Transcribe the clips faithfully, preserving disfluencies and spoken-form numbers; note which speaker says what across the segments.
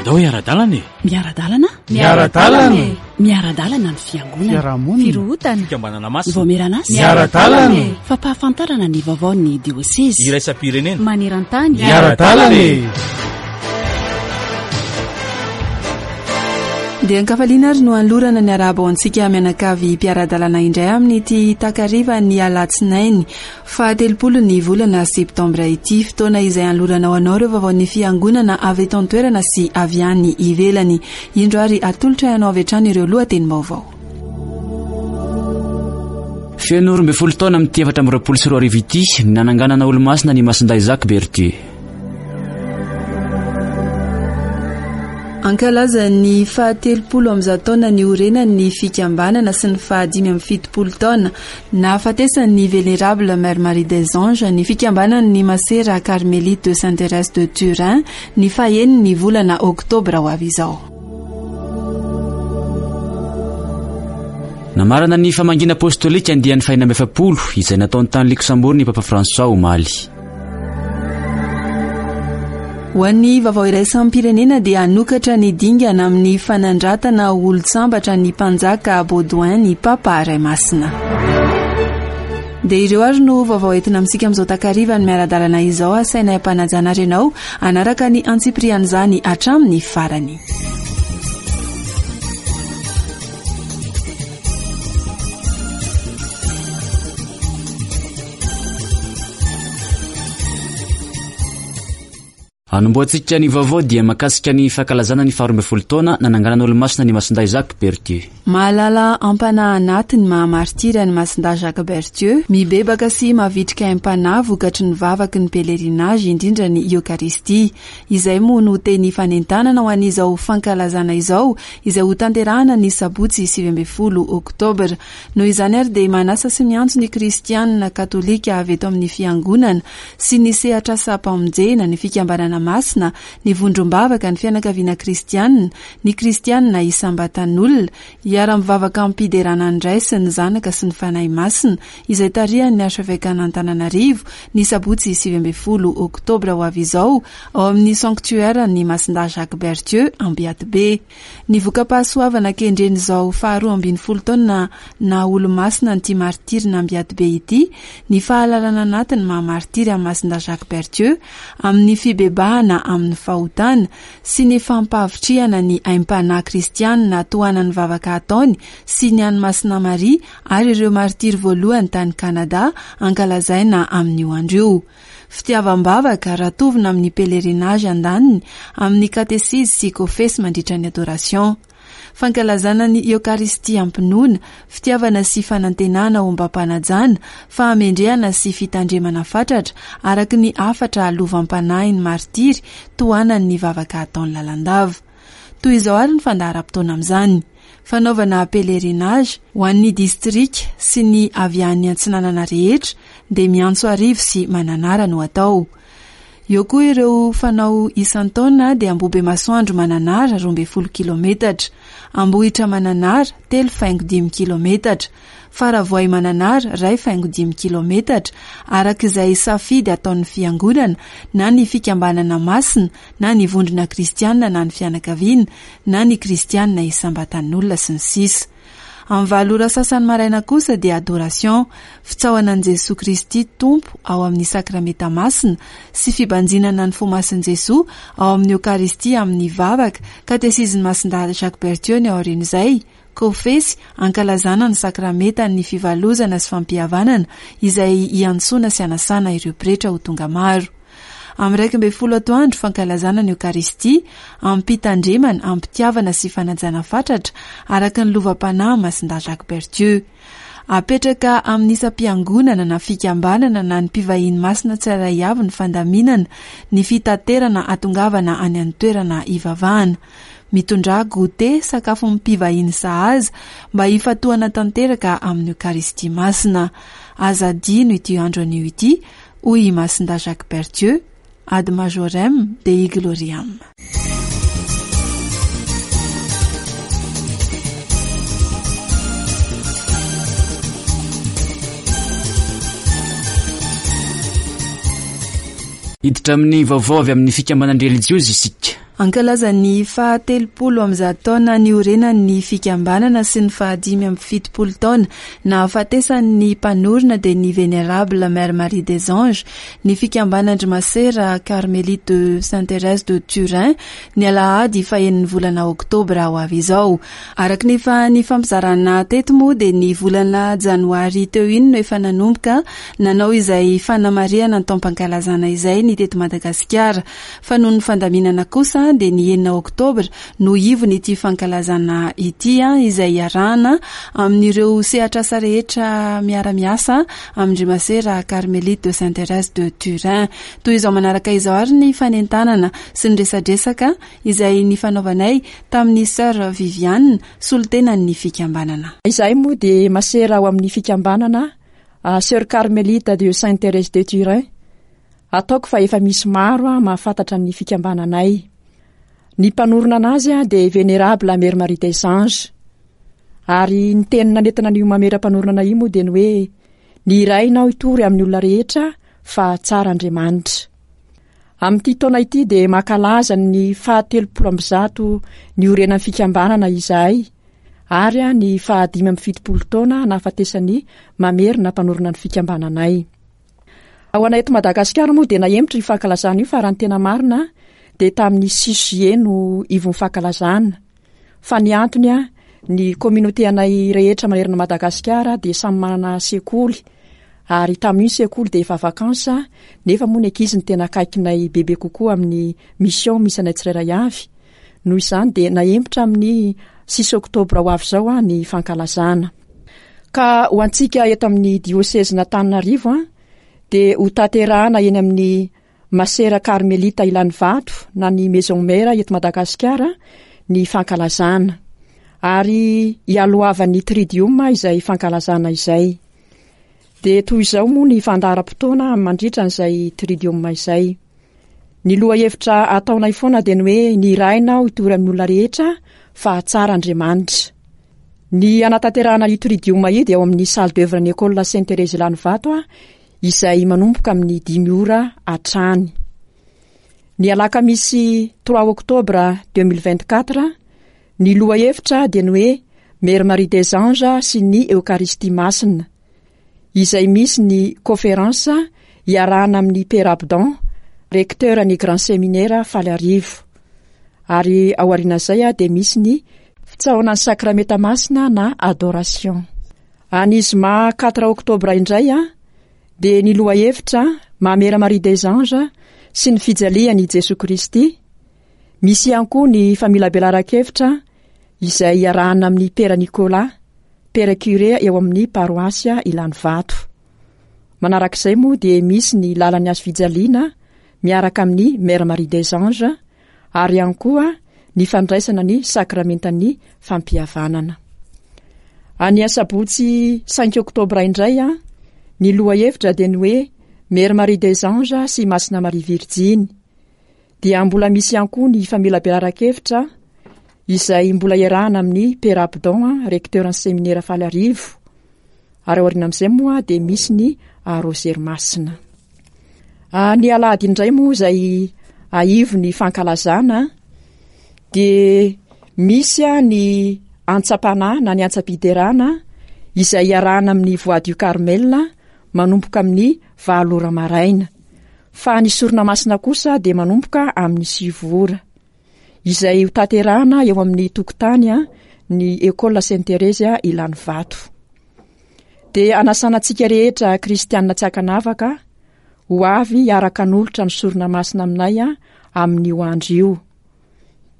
Speaker 1: Andao hiara-dalana e!
Speaker 2: Miara-dalana?
Speaker 3: Miara-dalana e!
Speaker 2: Miara-dalana ny fiangonana.
Speaker 3: Fiarahamonina.
Speaker 4: Firohotana.
Speaker 1: Fikambanana masina.
Speaker 2: Vaomieran'asa.
Speaker 3: Miara-dalana e!
Speaker 2: Fampahafantarana ny vaovaon'ny diosezy.
Speaker 1: Iraisam-pirenena.
Speaker 4: Maneran-tany.
Speaker 3: Miara-dalana e!
Speaker 5: Dia ankafaliana ary no anolorana ny arahaba ho antsika mianakavy mpiara-dalana indray amin'ity takariva ny alatsinainy fahatelopolo ny volana septambra ity, fotoana izay anolorana ho anao ireo vaovaon'ny fiangonana avy eto an-toerana sy avy any ivelany. Indro ary atolotra ianao avy hatrany ireo lohatenim-baovao.
Speaker 6: Feno roa ambin'ny folo taona amin'ity efatra amby roapolo sy roa arivo ity ny nananganana olomasina ny Masindahy Jacques Berthieu.
Speaker 5: Ankalaza ny fahatelopolo amby zato taona niorenan'ny fikambanana sy ny fahadimy amby fitopolo taona nahafatesan'ny Vénérable Mère Marie des Anges ny fikambanan'ny Masera Carmélite de Sainte-Thérèse de Turin ny faheniny volana oktobra ho avy izao.
Speaker 6: Namarana ny famangiana apostolika andiany fahenina amby efapolo izay nataony tany Luxembourg ny Papa François omaly.
Speaker 5: Ho an'ny vaovao iraisam-pirenena dia hanokatra ny dingana amin'ny fanandratana olon-tsambatra ny mpanjaka Baudouin ny Papa Ray Masina. Dia ireo ary no vaovao entina amintsika amin'izao takariva ny miara-dalana izao, asainay ampanajana ary ianao hanaraka ny antsipirian'izany hatramin'ny farany.
Speaker 6: Anombohantsika ny vaovao dia mahakasika ny fankalazana ny faharoa ambin'ny folo taona nananganana olomasina ny Masindahy Jacques Berthieu.
Speaker 5: Mahalala ampanahy anaty ny maha-martiry an'i Masindahy Jacques Berthieu, mibebaka sy mavitrika aim-panahy vokatry ny vavaky ny pèlerinage, indrindra ny Eokaristia. Izay moa no teny fanentanana ho an'izao fankalazana izao, izay ho tanterahana ny sabotsy sivy ambin'ny folo oktobra. Noho izany ary dia manasa sy miantso ny kristianina katolika avy eto amin'ny fiangonana sy ny sehatr'asam-pamonjena, ny fikambanana masina, ny vondrom-bavaka, ny fianakaviana kristianina, ny kristianina isam-batan'olona, hiara-mivavaka am-piderana ny Ray sy ny Zanaka sy ny Fanahy Masina, izay tarihan'ny archevekan'Antananarivo ny sabotsy sivy ambin'ny folo oktobra ho avy izao ao amin'ny sanctuaire ny Masindahy Jacques Berthieu Ambiatibe. Ny voka-pahasoavana kendren'izao faharoa ambin'ny folo taona na olomasina an'ity martirina Ambiatibe ity, ny fahalalana anatiny maha-martiry amin'ny Masindahy Jacques Berthieu amin'ny fibebahana amin'ny fahotana sy ny fampahavitrihana ny aim-panahy kristianina tohanan'ny vavaka ataony sy ny an'i Masina Maria ary ireo martiry voalohany tany Kanada ankalazaina amin'io andro io. Fitiavam-bavaka raha tovina amin'ny pèlerinage andaniny amin'ny katesizy sy kofesy mandritra ny adoration. Fankalazana ny Eokaristia am-pinoana, fitiavana sy fanantenana ombam-panajana, fahamendrehana sy fitandremana fatratra araka ny hafatra lovam-panahin'ny martiry tohanan'ny vavaka ataony lalandava. Toy izao ary ny fandaharam-potoana amin'izany. Fanaovana pèlerinage ho an'ny distrika sy ny avy any Antsinanana rehetra dia miantso arivo sy Mananara no atao. Eo koa ireo fanao isan-taona dia Ambohibe-Masoandro Mananara roa ambin'ny folo kilometatra, Ambohitra Mananara telo faingo dimy kilometatra, Faravoay Mananara iray faingo dimy kilometatra, araka izay safidy ataon'ny fiangonana na ny fikambanana masina na ny vondrona kristianina na ny fianakaviana na ny kristianina isam-batan'olona sy ny sisa. Amin'ny valo ora sasany maraina kosa dia adoration, fitsaohana an'i Jesoa Kristy Tompo ao amin'ny sakramenta masina sy fibanjinana ny fo masin'i Jesoa ao amin'ny Eokaristia amin'ny vavaka, katesizin'ny Masindahy Jacques Berthieu ny aorian'izay, kofesy, ankalazana ny sakramentan'ny fivalozana sy fampihavanana izay iantsoana sy anasana ireo pretra ho tonga maro. Amin'ny iraika ambin'ny folo atoandro, fankalazana ny Eokaristia, am-pitandremana, am-pitiavana sy fanajana fatratra araka ny lovam-panahy Masindahy Jacques Berthieu. Apetraka amin'ny isam-piangonana na fikambanana na ny mpivahiny masina tsirairay avy ny fandaminana, ny fitaterana atongavana any an-toerana ivavahana. Mitondra goûter, sakafo mpivahiny sahaza mba hifatohana tanteraka amin'ny Eokaristia masina. Aza adino ity andro anio ity, hoy i Masindahy Jacques Berthieu, ad majorem Dei gloriam.
Speaker 6: Hiditra amin'ny vaovao avy amin'ny fikambanan-drelijiozy isika.
Speaker 5: Ankalaza ny fahatelopolo amby zato taona niorenan'ny fikambanana sy ny fahadimy amby fitopolo taona nahafatesan'ny mpanorina dia ny Vénérable Mère Marie des Anges, ny fikambanan-dry Masera Carmélite de Sainte Thérèse de Turin, ny alahady fahenin'ny volana oktobra ho avy izao. Araka ny efa nifampizarana teto moa dia ny volana janoary teo iny no efa nanomboka nanao izay fanamarihana ny taom-pankalazana izay ny teto Madagasikara. Fa noho ny fandaminana kosa dia ny enina oktobra no ivony ity fankalazana ity, izay iarahana amin'ireo sehatr'asa rehetra miara-miasa amin-dry Masera Carmélite de Sainte Thérèse de Turin. Toy izao manaraka izao ary ny fanentanana sy ny resadresaka izay nifanaovanay tamin'ny Sœur Viviane, solontenan'ny fikambanana.
Speaker 1: Izahay moa dia masera ao amin'ny fikambanana Sœur Carmélite de Sainte Thérèse de Turin. Ataoko fa efa misy maro mahafantatra ny fikambananay. Ny mpanorina anazy dia Vénérable Mère Marie des Anges. Ary ny teny nanentina an'io mamera mpanorina io moa dia ny hoe ny iraina aho hitory amin'ny olona rehetra fa tsara Andriamanitra. Amin'ity taona ity dia mankalaza ny fahatelopolo amby zato niorenan'ny fikambanana izahay ary ny fahadimy amby fitopolo taona nahafatesan'ny mamerina mpanorina ny fikambananay. Ho anay eto Madagasikara moa dia nahemotra io fankalazana io fa raha ny tena marina dia tamin'ny six juillet no ivon'ny fankalazana. Fa ny antony a, ny communauté anay rehetra manerana Madagasikara dia samy manana sekoly ary tamin'io sekoly dia efa vacances, nefa moa ny ankizy no tena akaikinay bebe kokoa amin'ny mission misy anay tsirairay avy. Noho izany dia nahemotra amin'ny six oktobra ho avy izao a ny fankalazana. Ka ho antsika eto amin'ny diôsezin'Antananarivo a dia ho tanterahana eny amin'ny Masera Carmelita Ilanivato na ny Maison Mère eto Madagasikara ny fankalazana. Ary hialohavan'ny Tridium izay fankalazana izay. Dia toy izao moa ny fandaharam-potoana mandritra an'izay Tridium izay. Ny lohahevitra ataonay foana dia ny hoe ny iraina aho hitory amin'ny olona rehetra fa tsara Andriamanitra. Ny hanatanterahana io Tridium io dia ao amin'ny salle d'œuvre ny École Sainte Thérèse Ilanivato a, izay manomboka amin'ny dimy ora hatrany. Ny alakamisy trois octobre deux mille vingt-quatre, ny lohahevitra dia ny hoe Mère Marie des Anges sy ny Eokaristia Masina, izay misy ny conférence iarahana amin'ny Père Abdon, recteur ny Grand Séminaire Faliarivo. Ary ao aorian'izay dia misy ny fitsaohana ny Sakramenta Masina na adoration. Any zoma quatre octobre indray a, dia ny lohahevitra Mamera Marie des Anges sy ny fijalian'i Jesoa Kristy. Misy ihany koa ny familabelaran-kevitra izay iarahana amin'ny Père Nicolas, Père curé eo amin'ny paroasy Ilanivato. Manarak'izay moa dia misy ny lalan'ny hazo fijaliana miaraka amin'ny Mère Marie des Anges ary ihany koa ny fandraisana ny sakramentan'ny fampihavanana. Any asabotsy cinq octobre indray a, ny lohahevitra dia ny hoe Mère Marie des Anges sy Masina Maria Virjiny. Dia mbola misy ihany koa ny familabelaran-kevitra izay mbola iarahana amin'ny Père Abdon, recteur ny séminaire Faliarivo. Ary aoriana amin'izay moa dia misy ny Rosaire Masina. Ny alahady indray moa izay aivo ny fankalazana dia misy ny antsam-panahy na ny antsam-piderana izay iarahana amin'ny Voix du Carmel manomboka amin'ny valo ora maraina. Fa ny sorona masina kosa dia manomboka amin'ny sivy ora. Izay ho tanterahana eo amin'ny tokotany a, ny École Sainte Thérèse Ilanivato. Dia anasana antsika rehetra kristianina tsy ankanavaka ho avy hiaraka hanolotra ny sorona masina aminay a, amin'io andro io.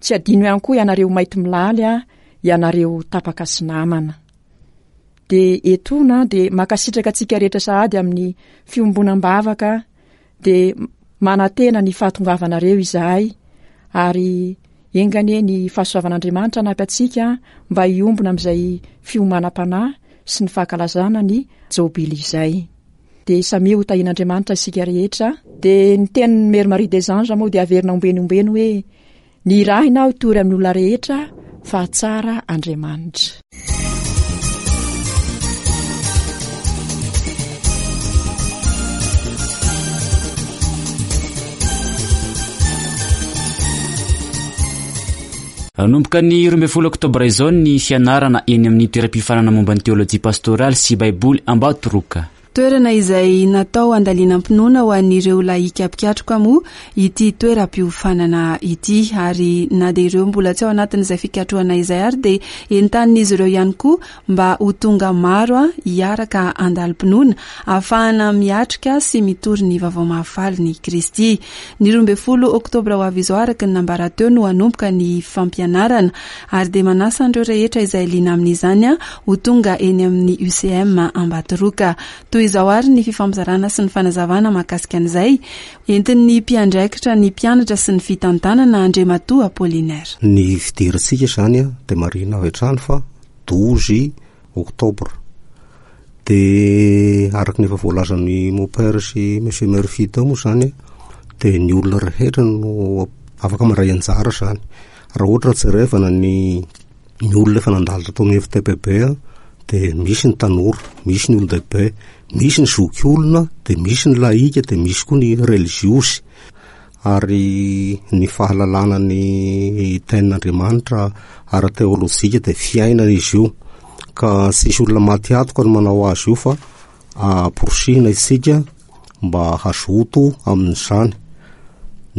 Speaker 1: Tsy adino ihany koa ianareo maity milaly a, ianareo tapaka sy namana. Dia etoana dia mankasitraka antsika rehetra sahady amin'ny fiombonam-bavaka, dia manantena ny fahatongavanareo izahay ary enga anie ny fahasoavan'Andriamanitra hanampy antsika mba hiombona amin'izay fiomanam-panahy sy ny fankalazana ny jobily izay. Dia samia ho tahian'Andriamanitra isika rehetra. Dia ny tenin'ny Mère Marie des Anges moa dia averina ombeny ombeny hoe ny irahina aho hitory amin'ny olona rehetra fa tsara Andriamanitra.
Speaker 6: Hanomboka ny roa ambin'ny folo oktobra izao ny fianarana eny amin'ny toeram-piofanana momba ny teolojia pastoraly sy baiboly Ambatoroka.
Speaker 5: Toerana izay natao andalinam-pinoana ho an'ireo lahika mpikatroka moa ity toeram-piofanana ity, ary na dia ireo mbola tsy ao anatin'izay fikatrohana izay ary dia entanin'izy ireo ihany koa mba ho tonga maro a hiaraka andalim-pinoana ahafahana miatrika sy mitory ny vaovao mahafaly ny Kristy. Ny roa ambin'ny folo oktobra ho avy izao araka ny nambara teo no hanomboka ny fampianarana, ary dia manasa an'ireo rehetra izay liana amin'izany a ho tonga eny amin'ny U C M Ambatoroka. Toy izao ary ny fifampizarana sy ny fanazavana mahakasika an'izay entin'ny mpiandraikitra ny mpianatra sy ny fitantanana, Andriamatoa Apollinaire.
Speaker 4: Ny fidirantsika zany a de marina avy hatrany fa douze octobre, de araka ny efa voalazan'ny mon père sy monsieur Murphy teo moa zany, de ny olona rehetra no afaka mandray anjara zany. Raha ohatra jerevana ny ny olona efa nandalo tao amin'ny F T P B a, de misy ny tanora, misy ny olon-dehibe, misy ny zoky olona, de misy ny laika, de misy koa ny religiosy. Ary ny fahalalana ny tenin'Andriamanitra ara-teolojika de fiainana izy io, ka tsisy olona maty atoka no manao azy io, fa amporisihina isika mba hazoto amin'izany.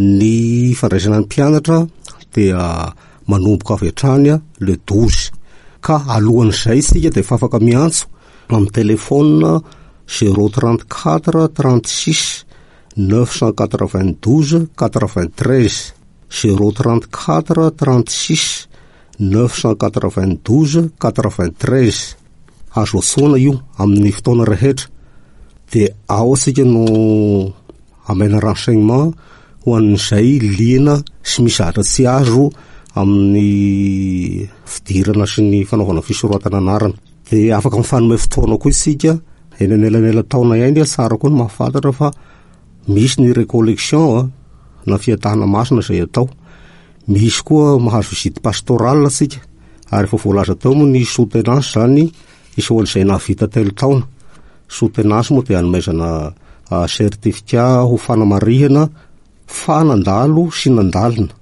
Speaker 4: Ny fandraisana ny mpianatra dia manomboka avy hatrany a le douze, ka alohan'izay isika de efa afaka miantso amin'ny telefona zéro trente quatre trente six neuf cent quatre vingt douze quatre vingt treize, zéro trente quatre trente six neuf cent quatre vingt douze quatre vingt treize. Azo antsoina io amin'ny fotoana rehetra, de ao atsika no amena renseignement ho an'izay liana sy misy zavatra tsy azo amin'ny fidirana sy ny fanaovana fisoratana anarana. De afaka mifanome fotoana koa isika eny anelanela taona ihany. Tsara koa ny mahafantatra fa misy ny récollection a na fiatahana masina zay atao, misy koa mahazo visite pastorale atsika, ary efa voalaza teo moa ny soutenance zany isoan'izay nahavita telo taona. Soutenance moa de anomezana certificat ho fanamarihana fa nandalo sy nandalina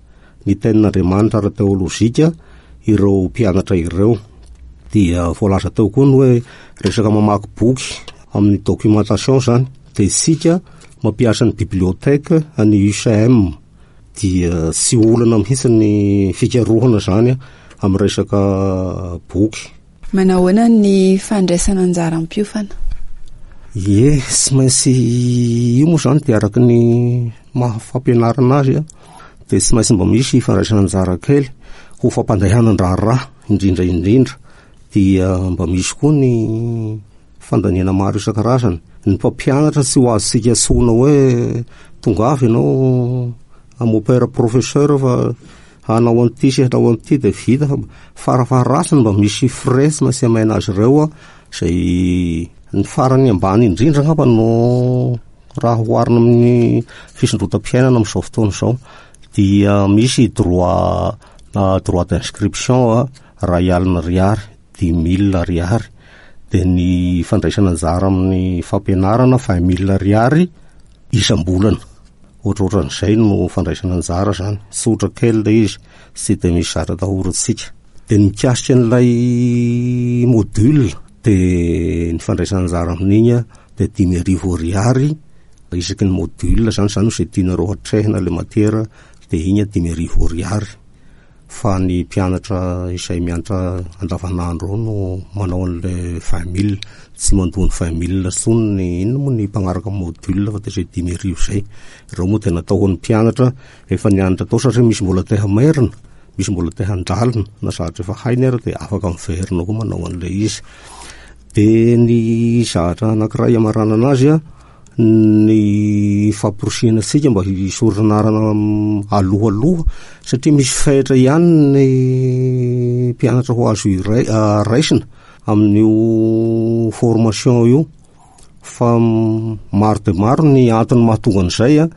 Speaker 4: ny tenin'Andriamanitra ara-teolojika ireo mpianatra ireo. Dia voalaza teo koa ny hoe resaka mamaky boky amin'ny documentation zany, de isika mampiasa ny bibliothèque any U C M, dia tsy olana mihitsy ny fikarohana zany amin'ny resaka boky.
Speaker 5: Manahoana ny fandraisana anjara mpiofana?
Speaker 4: Ye, tsy maintsy io moa zany de araky ny mahafampianarana azy a de tsy maintsy mba misy fandraisana anjara kely ho fampandehanan-draharaha indrindra indrindra. Dia mba misy koa ny fandaniana maro isan-karazany. Ny mpampianatra tsy ho azontsika antsoina hoe tonga avy ianao mon père professeur fa hanao an'ity sy hanao an'ity de vita, fa farafaharatsiny mba misy frais tsy maintsy amaina azy ireo a zay ny farany ambany indrindra angamba no raha oharina amin'ny fisondrotam-piainana amin'izao fotoana izao. Dia misy droit droit d'inscription a ray alina ariary, dix mille ariary, de ny fandraisana anjara amin'ny fampianarana vingt mille ariary isam-bolana. Ohatrohatran'izay no fandraisana anjara zany, tsotra kely le izy, tsy de misy zavatra atahorantsika. De ny mikasika an'ilay module, de ny fandraisana anjara amin'iny a de dimy arivo ariary isaky ny module zany zany zay tianareo hatrehina le matière, de iny a dimy arivo ariary. Fa ny mpianatra izay mianatra andavanandro ao no manao an'le vingt mille, tsy mandoa ny vingt mille intsony ny inona moa ny mpanaraka module, fa de zay dimy arivo zay. Ireo moa de natao ho an'ny mpianatra efa nianatra tao, satria misy mbola te hamerina, misy mbola te handalina na zavatra efa hainy ary de afaka miverina koa manao an'le izy. De ny zavatra anankiray amaranana anazy a ny famporisihana antsika mba hisoratra anarana alohaloha, satria misy fetra ihany ny mpianatra ho azo iray raisina amin'io formation io, fa maro de maro ny antony mahatonga an'izay a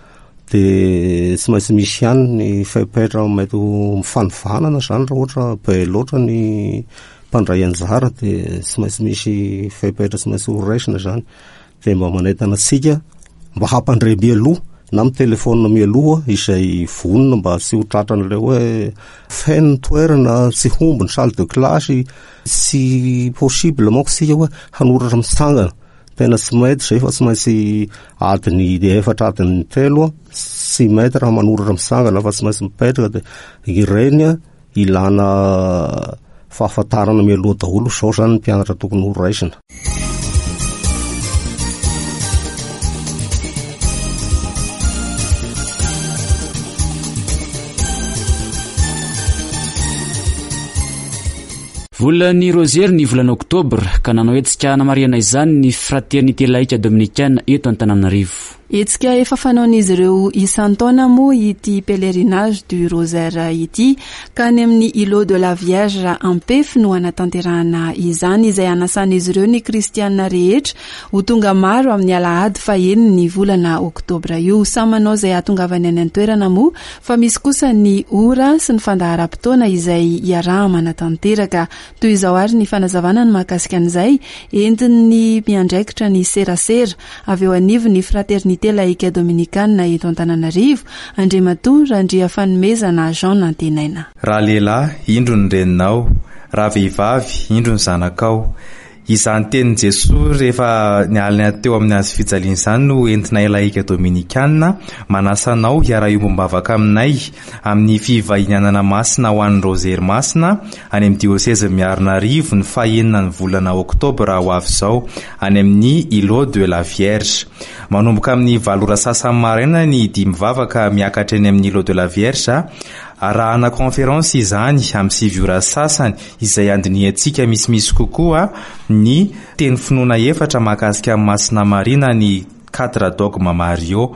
Speaker 4: de tsy maintsy misy ihany ny fepetra mety ho mifanivanana zany. Raha ohatra be loatra ny mpandray anjara, de tsy maintsy misy fepetra tsy maintsy ho raisina zany. De mba manentana antsika mba hampandre mialoha na mitelefona mialoha izay vonona mba tsy ho tratran'ilay hoe feno ny toerana, tsy homby ny salle de classe, tsy possible manko tsika hoe hanoratra mitsangana. Tena tsy mety zay fa tsy maintsy adiny efatra, adiny telo, tsy mety raha manoratra mitsangana fa tsy maintsy mipetraka. Dia ireny a ilana fahafantarana mialoha daholo zao zany ny mpianatra tokony ho raisina.
Speaker 6: Volan'ny Rozery ny volana Oktobra ka nanao hetsika hanamarihana izany ny Fraternité Laïque Dominicaine eto Antananarivo.
Speaker 5: Hetsika efa fanaon'izy ireo isan-taona moa ity pèlerinage du Rosaire ity ka any amin'ny Îlot de la Vierge Ampefy no hanatanterahana izany, izay anasan'izy ireo ny kristiana rehetra ho tonga maro amin'ny alahady fahenina ny volana Oktobra io. Samy manao izay hahatongavany any an-toerana moa fa misy kosa ny ora sy ny fandaharam-potoana izay iaraha-manatanteraka. Toy izao ary ny fanazavana ny mahakasika an'izay entin'ny miandraikitra ny serasera avy eo anivon'ny Fraternité Laïque Dominicane eto Antananarivo, Andriamatoa Randriafanomezana Jean Nantenaina.
Speaker 7: Raha lehilahy, indro ny reninao, raha vehivavy, indro ny zanakao. Izany tenin'i Jesoa rehefa nialina teo amin'ny hazo fijaliana izany no entinay laïka dominikana manasa anao hiara-hiombom-bavaka aminay amin'ny fivahinianana masina ho an'ny Rozery masina any amin'ny diôsezy Miarinarivo ny fahenina ny volana Oktobra ho avy izao any amin'ny Îlot de la Vierge. Manomboka amin'ny valo ora sasany maraina ny dimy vavaka miakatra eny amin'ny Îlot de la Vierge. Arahana conférence izany amin'ny sivy ora sasany izay andinihantsika misimisy kokoa ny teny finoana efatra mahakasika amin'ny Masina Maria na ny quatre dogme Mario.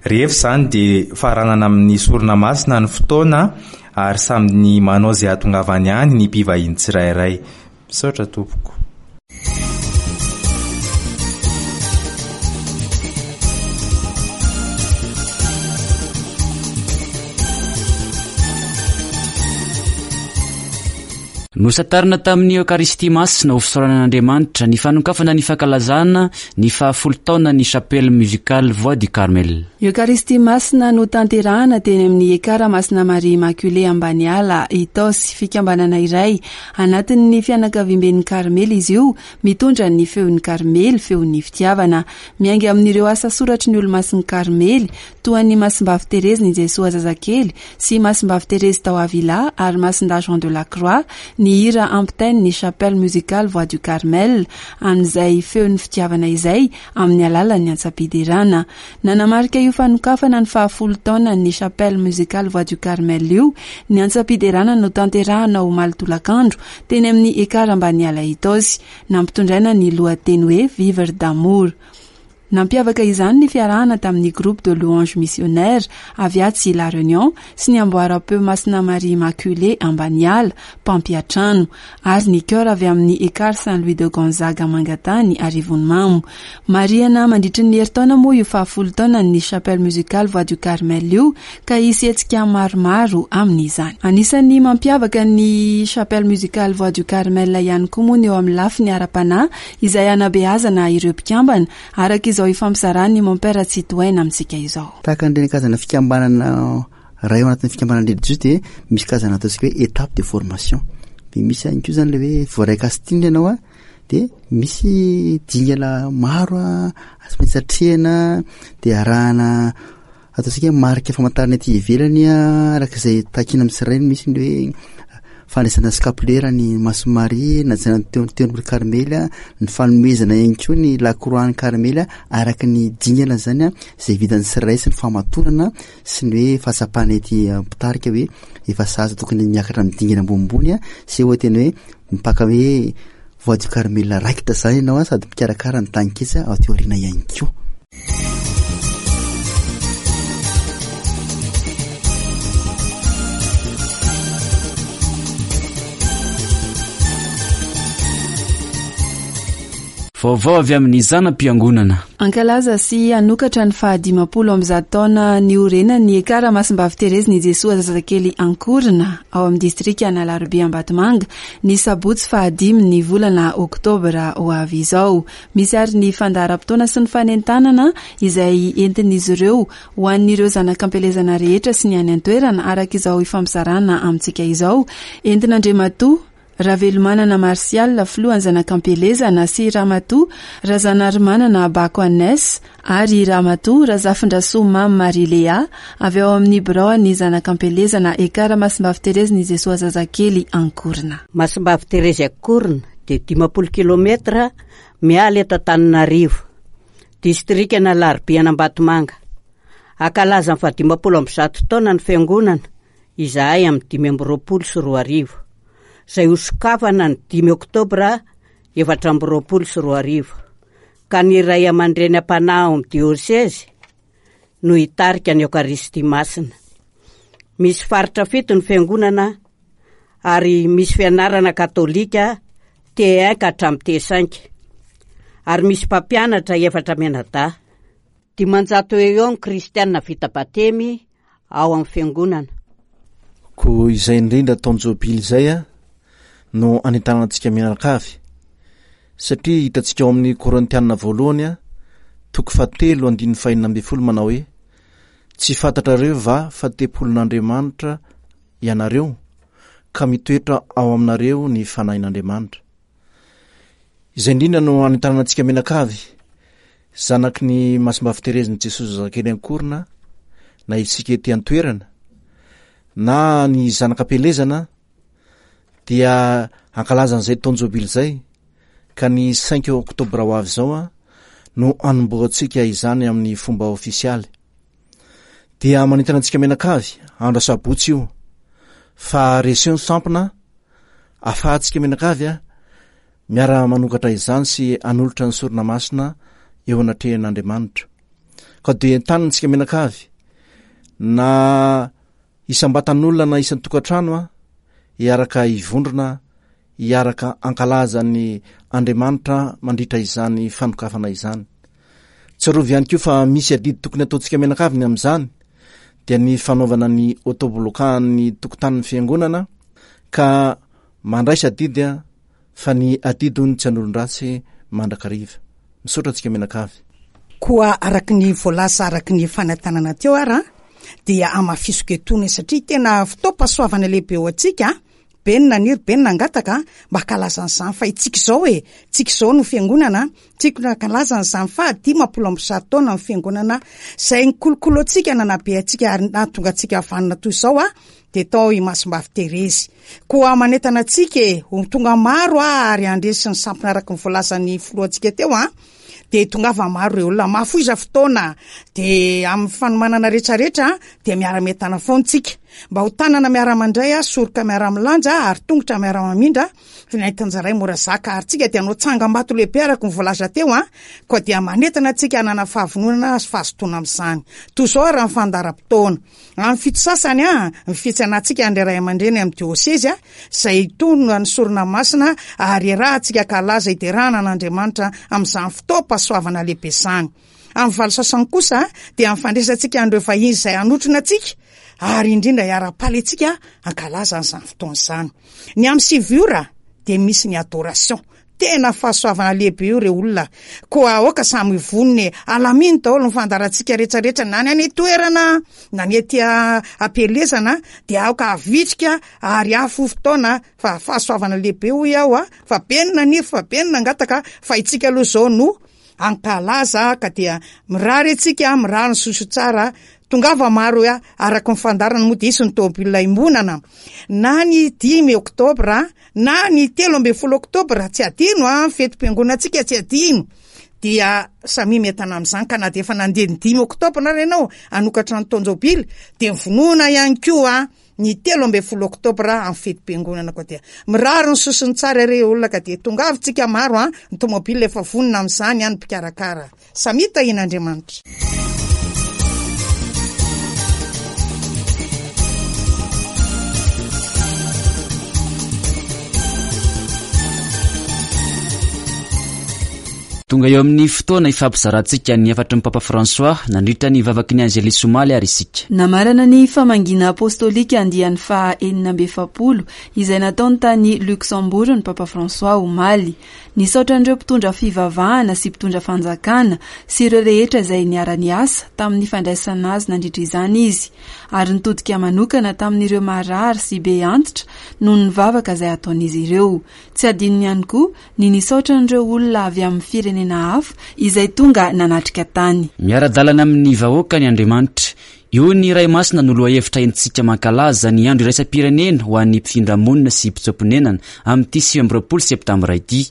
Speaker 7: Rehefa izany dia faranana amin'ny sorona masina ny fotoana ary samy manao izay hahatongavany any ny mpivahiny tsirairay. Misaotra tompoko.
Speaker 6: Nosantarina tamin'ny Eokaristia Masina ho fisaorana an'Andriamanitra ny fanokafana ny fankalazana ny fahafolo taona ny Chapelle Musicale Voix du Carmel.
Speaker 5: Eokaristia Masina notanterahana teny amin'ny Ekara Masina Maria Immaculée Ambaniala Itaosy, fikambanana iray anatin'ny fianakaviamben'ny Karmely izy io, mitondra ny feon'ny Karmely, feon'ny fitiavana. Miainga amin'ireo asa soratry ny olomasin'ny Karmely toa ny Masimbavy Terezy ny Jesoa zazakely sy Masimbavy Terezy tao Avila ary Masindahy Jean de la Croix ny hira ampitain'ny Chapelle Musicale Voix du Carmel amin'izay feon'ny fitiavana izay amin'ny alalan'ny antsam-piderana. Nanamarika io fanokafana ny fahafolo taona ny Chapelle Musicale Voix du Carmel io ny antsam-piderana notanterahana omaly tolakandro teny amin'ny Ekara Ambaniala Itaosy, nampitondraina ny lohateny hoe Vivre d'amour. Nampiavaka izany ny fiarahana tamin'ny groupe de louange missionnaire avy atsy La Réunion sy ny amboaram-peo Masina Maria Immaculée Ambaniala mpampiantrano ary ny chœur avy amin'ny Ekar Saint-Louis de Gonzague Mangatany Arivonimamo. Marihana mandritry ny herintaona moa io fahafolo taona ny Chapelle Musicale Voix du Carmel io ka hisy hetsika maromaro amin'izany. Anisan'ny mampiavaka ny Chapelle Musicale Voix du Carmel ihany koa moa ny eo amin'ny lafiny ara-panahy izay anabeazana ireo mpikambana araka izao ifampizarany Mompera Tsitohaina amintsika izao.
Speaker 8: Tahaka an'ireny karazana fikambanana ray ao anatin'ny fikambanana religieux dia misy karazana ataontsika hoe étape de formation. Dia misy ihany koa izany ilay hoe voaray casting ianao a, dia misy dingana maro a, tsy maintsy atrehina, dia arahana ataontsika hoe marika famantarana ety ivelany a, araka izay takiana amin'ny tsirairay. Misy ny hoe fandraisana scapulaire ny Masina Maria, najanona teo teo amin'ny Karmely a, ny fanomezana ihany koa ny la croix ny Karmely a, araka ny dingana zany a, izay vitan'ny tsirairay sy ny fahamatorana sy ny hoe fahatsapana ety mpitarika hoe efa sahaza tokony miakatra amin'ny dingana ambonimbony a, sy hoe tena hoe mipaka hoe Voix du Carmel raikitra zany ianao a, sady mpikarakara ny taninketsa ao aty aoriana ihany koa.
Speaker 6: Vaovao avy amin'ny zana-piangonana.
Speaker 5: Hankalaza sy hanokatra ny fahadimampolo amby zato taona niorenany Ekara Masimbavy Terezin'i Jesoa Zazakely Ankorona ao amin'ny distrikan'Alarobia Ambatomanga ny sabotsy fahadimy ny volana oktobra ho avy izao. Misy ary ny fandaharam-potoana sy ny fanentanana izay entin'izy ireo ho an'ireo zanak'ampielezana rehetra sy ny any an-toerana araka izao ifampizarana amintsika izao. Entin'Andriamatoa Ravelomanana Martial, filohan'ny zanak'ampielezana, sy Ramatoa Razanarimanana Bako Agnès ary Ramatoa Razafindrasoa Mamy Marie Léa avy ao amin'ny biraon'ny zanak'ampielezana Ekara Masimbavy Terezin'i Jesoa Zazakely Ankorona.
Speaker 9: Masimbavy Terezy Ankorona dia dimampolo kilometra miala eto Antananarivo, distrikan'Alarobia an'Ambatomanga. Hankalaza ny fahadimampolo amby zato taona ny fiangonana izahay amin'ny dimy amby roapolo sy roa arivo, izay hosokafana ny dimy oktobra efatra amby roapolo sy roa arivo, ka ny ray aman-dreny am-panahy ao amin'ny diosezy no hitarika ny Eokaristia Masina. Misy faritra fito ny fiangonana ary misy fianarana katolika T un ka hatramin'ny T cinq, ary misy mpampianatra efatra mianadahy. Dimanjato eo eo ny kristiana vita batemy ao amin'ny fiangonana.
Speaker 10: Koa izay indrindra taon-jobily izay a no anentanana antsika mianakavy, satria hitantsika ao amin'ny Korintiana voalohany a toko fahatelo andininy fahenina ambin'ny folo manao hoe: tsy fantatrareo va fa tempolin'Andriamanitra ianareo, ka mitoetra ao aminareo ny fanahin'Andriamanitra. Izay indrindra no anentanana antsika mianakavy, zanaky ny Masimbavy Terezin'i Jesoa Zazakely Ankorona, na isika ety an-toerana na ny zanak'ampielezana, dia hankalaza an'izay taon-jobily izay, ka ny cinq oktobra ho avy izao a no hanombohantsika izany amin'ny fomba ofisialy. Dia manentana antsika mianakavy andro asabotsy io, fa reseo ny sampona ahafahantsika mianakavy a miara-manokatra izany sy hanolotra ny sorona masina eo anatrehan'Andriamanitra. Ka dia entanina antsika mianakavy na isam-batan'olona na isan-tokantrano a hiaraka hivondrona, hiaraka hankalaza ny Andriamanitra mandritra izany fanokafana izany. Tsarovy ihany koa fa misy adidy tokony ataontsika mianakavy ny amin'izany, dia ny fanaovana ny autobloquant-n'ny tokotanin'ny fiangonana, ka mandraisa adidy a fa ny adidy hono tsy an'olon-dratsy mandrakariva. Misaotra antsika mianakavy.
Speaker 11: Koa araka ny voalaza araka ny fanentanana teo ara, dia hamafisiko etony satria tena fotoam-pahasoavana lehibe ho antsika, be ny naniry, be ny nangataka mba hankalaza an'izany, fa itsika izao e, tsika izao no fiangonana, tsika no hankalaza an'izany fa dimampolo amby zato taona ny fiangonana izay nikolokolo antsika, nanabe antsika ary nahatonga antsika vanona toy izao a, dia tao i Masimbavy Terezy. Koa manentana antsika e, ho tonga maro a, ary handresy ny sampona araka ny voalazan'ny filohantsika teo a, dia tongava maro ireo olona, mahafoiza fotoana, dia amin'ny fanomanana rehetrarehetra dia miara-mientana foana tsika, mba ho tanana miara-mandray a, soroka miara-milanja ary tongotra miara-mamindra, nentin-jaray mora zaka, ary tsika dia hanao tsangambato lehibe araka ny voalaza teo a, koa dia manentana antsika hanana fahavononana sy fahazotoana amin'izany. Toy izao ary ny fandaharam-potoana. Amin'ny fito sasany a, ny fitsanantsika ny ray aman-dreny amin'ny diosezy a, izay tonga ny sorona masina ary iarahantsika kalaza hiderana an'Andriamanitra amin'izany fotoam-pahasoavana lehibe izany. Amin'ny valo sasany kosa dia amin'ny fandraisantsika an'ireo vahiny izay hanotrona antsika ary indrindra hiara-paly antsika hankalaza an'izany fotoana izany. Ny amin'ny sivy ora dia misy ny adoration. Tena fahasoavana lehibe io re olona. Koa aoka samy hivonona e. Alamino daholo ny fandaharantsika rehetrarehetra, na ny any an-toerana, na ny ety am-pielezana, dia aoka havitrika ary hafo fotoana, fa fahasoavana lehibe hoy aho a, fa be ny naniry, fa be ny nangataka, fa itsika aloha izao no hankalaza, ka dia mirary antsika, mirary ny soso tsara, tongava maro a, araka ny fandaharana moa dia hisy ny tômôbila iombonana, na ny dimy oktobra, na ny telo ambin'ny folo oktobra, tsy adino a, ny fetim-piangonantsika tsy adino, dia samy mientana amin'izany, ka na dia efa nandeha ny dimy oktobra ary ianao hanokatra ny taon-jobily, dia mivonona ihany koa ny telo ambin'ny folo oktobra amin'ny fetim-piangonana. Koa dia mirary ny sosony tsara re olona, ka dia tongavintsika maro a, ny tômôbila efa vonona amin'izany a, ny mpikarakara. Samy tahian'Andriamanitra.
Speaker 6: Tonga eo amin'ny fotoana ifampizarantsika ny hafatry ny Papa François nandritra ny vavaky ny Angelus omaly ary isika.
Speaker 5: Namarana ny famangiana apostolika andiany faha enina amby efapolo izay nataony tany Luxembourg ny Papa François omaly. Nisaotra an'ireo mpitondra fivavahana sy mpitondra fanjakana sy ireo rehetra izay niara-niasa tamin'ny fandraisana azy nandritra izany izy, ary nitodika manokana tamin'ireo marary sy be antitra noho ny vavaka izay ataon'izy ireo. Tsy adinony ihany koa ny nisaotra an'ireo olona avy amin'ny firenena hafa izay tonga nanatrika tany.
Speaker 6: Miara-dalana amin'ny vahoaka ny Andriamanitra. Io ny Ray Masina no lohahevitra entintsika mankalaza ny andro iraisam-pirenena ho an'ny mpifindra-monina sy mpitsoa-ponenana amin'ity sivy amby roapolo septambra ity.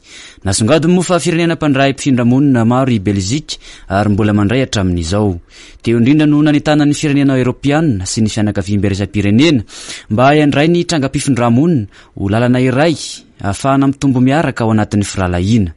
Speaker 6: Nasongadiny moa fa firenena mpandray mpifindra-monina maro i Belzika ary mbola mandray hatramin'izao. Teo indrindra no nanentana ny firenena eoropeanina sy ny fianakaviambe iraisam-pirenena mba handray ny trangam-pifindra-monina ho lalana iray ahafahana mitombo miaraka ao anatin'ny firahalahiana.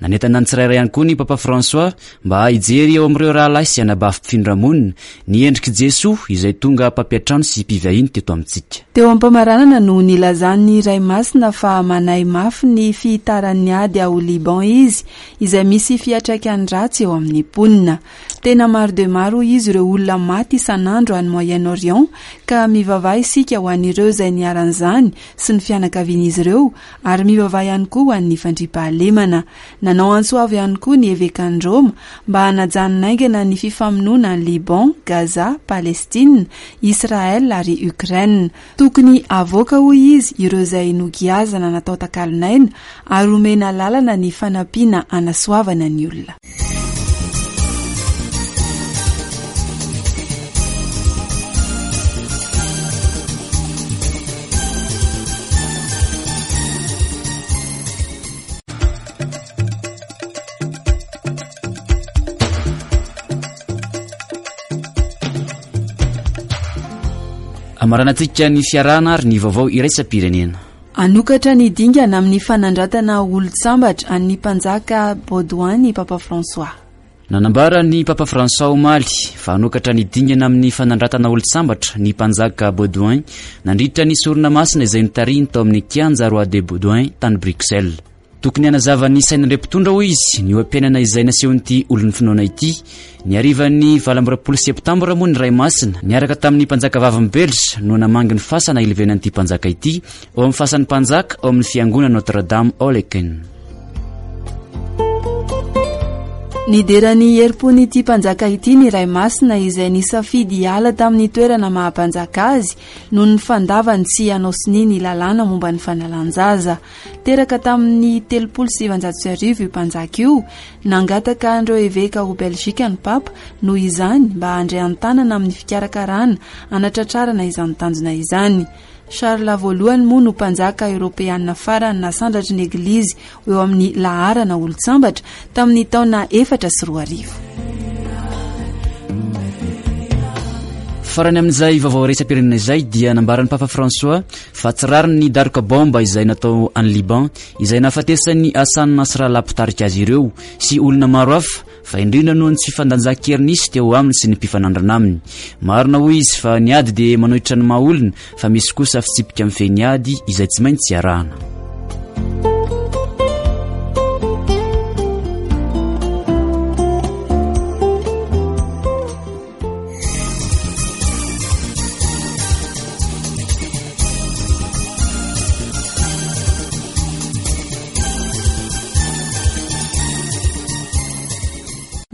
Speaker 6: Nanentana ny tsirairay ihany koa ny Papa François mba hijery eo amin'ireo rahalahy sy anabavy mpifindra-monina ny endrik'i Jesoa izay tonga mpampiantrano sy mpivahiny teto amintsika.
Speaker 5: Teo am-pamaranana no nilazan'ny Ray Masina fa manahy mafy ny fihitaran'ny ady ao Liban izy, izay misy fiantraikany ratsy eo amin'ny mponina. Tena maro dia maro hoy izy ireo olona maty isan'andro any Moyen-Orient, ka mivavaha isika ho an'ireo izay niharan'izany sy ny fianakavian'izy ireo, ary mivavaha ihany koa ho an'ny fandriampahalemana. Nanao antso avo ihany koa ny evekan'i Roma mba hanajanona haingana ny fifamonoana any Liban, Gaza, Palestine, Israël ary Ukraine. Tokony avoaka hoy izy ireo izay nogiazana natao takalon'aina ary omena lalana ny fanampiana hanasoavana ny olona.
Speaker 6: Amaranantsika ny fiarahana ary ny vaovao iraisam-pirenena.
Speaker 5: Hanokatra ny dingana amin'ny fanandratana olon-tsambatra an'ny mpanjaka Baudouin ny Papa François.
Speaker 6: Nanambara ny Papa François omaly fa hanokatra ny dingana amin'ny fanandratana olon-tsambatra ny mpanjaka Baudouin nandritra ny sorona masina izay notarihiny tao amin'ny kianja Roi de Baudouin tany Bruxelles. Tokony hanazava ny sain'ireo mpitondra hoy izy ny oha-piainana izay nasehon'ity olon'ny finoana ity. Ny harivan'ny valo amby roapolo septambra moa ny Ray Masina niaraka tamin'ny mpanjaka vavin'i Belge no namangy ny fasana ilevenan'ity mpanjaka ity ao amin'ny fasan'ny mpanjaka ao amin'ny fiangonana Notre-Dame ao Laeken.
Speaker 5: Nidera ny herim-pon'ity mpanjaka ity ny Ray Masina izay nisafidy hiala tamin'ny toerana maha-mpanjaka azy noho ny fandavany tsy hanao sonia ny lalàna momba ny fanalan-jaza. Teraka tamin'ny telopolo sy sivanjato sy arivo io mpanjaka io. Nangataka an'ireo eveka ho Belgika ny Papa noho izany mba handray an-tanana amin'ny fikarakarana hanatratrarana izany tanjona izany. Charles voalohany moa no mpanjaka eoropeanina farany nasandratry ny Eglizy eo amin'ny laharana olon-tsambatra tamin'ny taona efatra sy roa arivo.
Speaker 6: Farany amin'izay vaovao iraisam-pirenena izay dia nambaran'ny Papa François fa tsy rariny ny daroka bomba izay natao any Liban izay nahafatesan'ny Hassan Nasrallah mpitarika azy ireo sy olona maro hafa, fa indrindra noho ny tsy fifandanjan-kery nisy teo aminy sy ny mpifanandrina aminy. Marina hoy izy fa ny ady dia manohitra ny maha olona, fa misy kosa fitsipika mifehy ny ady izay tsy maintsy arahana.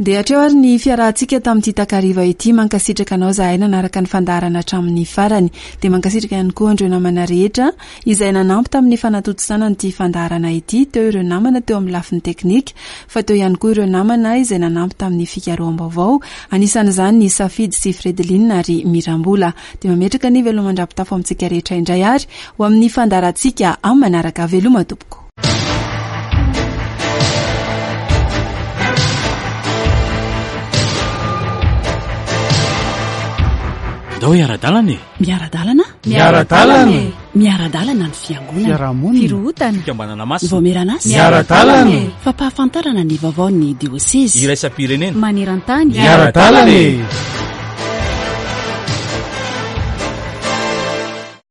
Speaker 5: Dia hatreo ary ny fiarahantsika tamin'ity takariva ity. Mankasitraka anao zahay nanaraka ny fandaharana hatramin'ny farany. Dia mankasitraka ihany koa andreo namana rehetra izay nanampy tamin'ny fanatontosana an'ity fandaharana ity. Teo ireo namana teo amin'ny lafiny teknika, fa teo ihany koa ireo namana izay nanampy tamin'ny fikaroham-baovao, anisan'izany ny Safidy sy Fredeline ary Mirambola. Dia mametraka ny veloma mandra-pitafo amintsika rehetra indray ary ho amin'ny fandaharantsika amin'ny manaraka. Veloma tompoko.
Speaker 12: Ndao hiara-dalana e.
Speaker 2: Miara-dalana?
Speaker 3: Miara-dalana e.
Speaker 2: Miara-dalana ny fiangonana.
Speaker 3: Fiarahamonina.
Speaker 2: Firohotana.
Speaker 12: Fikambanana masina.
Speaker 2: Vaomieran'asa.
Speaker 3: Miara-dalana e.
Speaker 2: Fampahafantarana ny vaovaon'ny diosezy.
Speaker 12: Iraisam-pirenena.
Speaker 2: Maneran-tany.
Speaker 3: Miara-dalana e.